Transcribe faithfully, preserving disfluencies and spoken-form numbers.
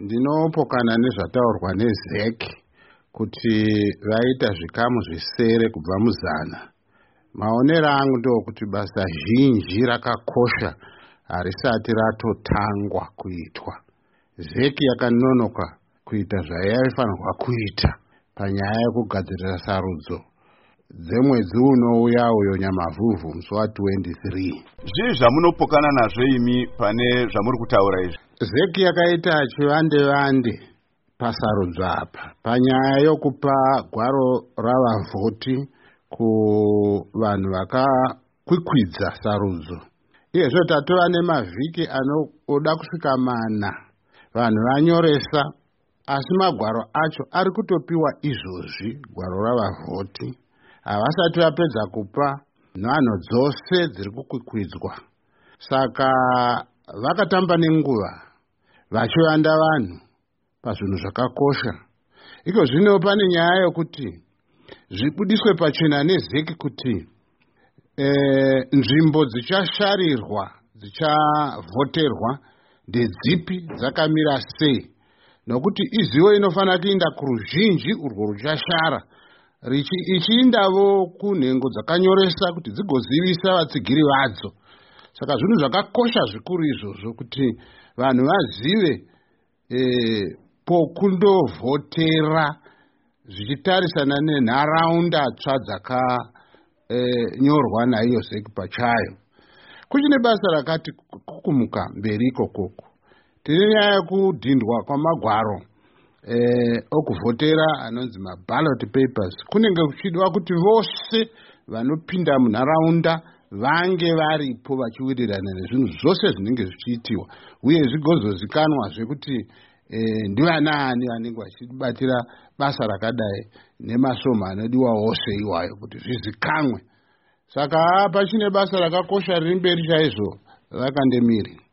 Ndinopokana nezvataurwa neZEC kuti vaita zvikamu zvisere kubva muzana. Maonero angu ndeokuti basa zhinji rakakosha harisati ratotangwa kuitwa. ZEC yakanonoka kuita zvayaifanirwa kuita panyaya yekugadzirira sarudzo dzemwedzi unouya uyo, Nyamavhuvhu, musi watwenty three. Zvii zvamunopokana nazvo imi pane zvamuri kutaura izvi? ZEC yakaita chivande vande pasarudzo apa panyaya yokupa gwaro ravavhoti kuvanhu vakakwikwidza sarudzo. Iyezvo tatova nemavhiki anoda kusvika mana vanhu vanyoresa, asi magwaro acho ari kutopiwa izvozvi. Gwaro ravavhoti havasati vapedza kupa nhanho dzose dziri kukwikwidzwa, saka vakatamba nenguva vachivanda vanhu pazvinhu zvakakosha. Iko zvino pane nyaya yokuti zvibudiswe pachena neZEC kuti e, nzvimbo dzichasharirwa, dzichavhoterwa ndedzipi, dzakamira sei, nokuti izivo inofanira kuinda kuruzhinji urwo ruchashara, ichiindavo kunhengo dzakanyoresa kuti dzigozivisa vatsigiri vadzo. Saka zvinhu zvakakosha zvikuru izvozvo kuti vanhu vazive e, pokundovhotera zvichitarisana nenharaunda tsva dzakanyorwa e, naiyo ZEC pachayo. Kuchine basa rakati kukumuka mberi ikokoko. Tine nyaya yekudhindwa kwamagwaro e, okuvhotera anonzi maballot papers. Kunenge kuchidiwa kuti vose vanopinda munharaunda vange varipo vachiwirirana nezvinhu zvose zvinenge zvichiitiwa, uye zvigozozikanwazve kuti e, ndivanaani vanenge vachibatira basa rakadai nemasvomo anodiwa ose iwayo kuti zvizikanwe. Saka pachine basa rakakosha riri mberi chaizvo, vakandemiri.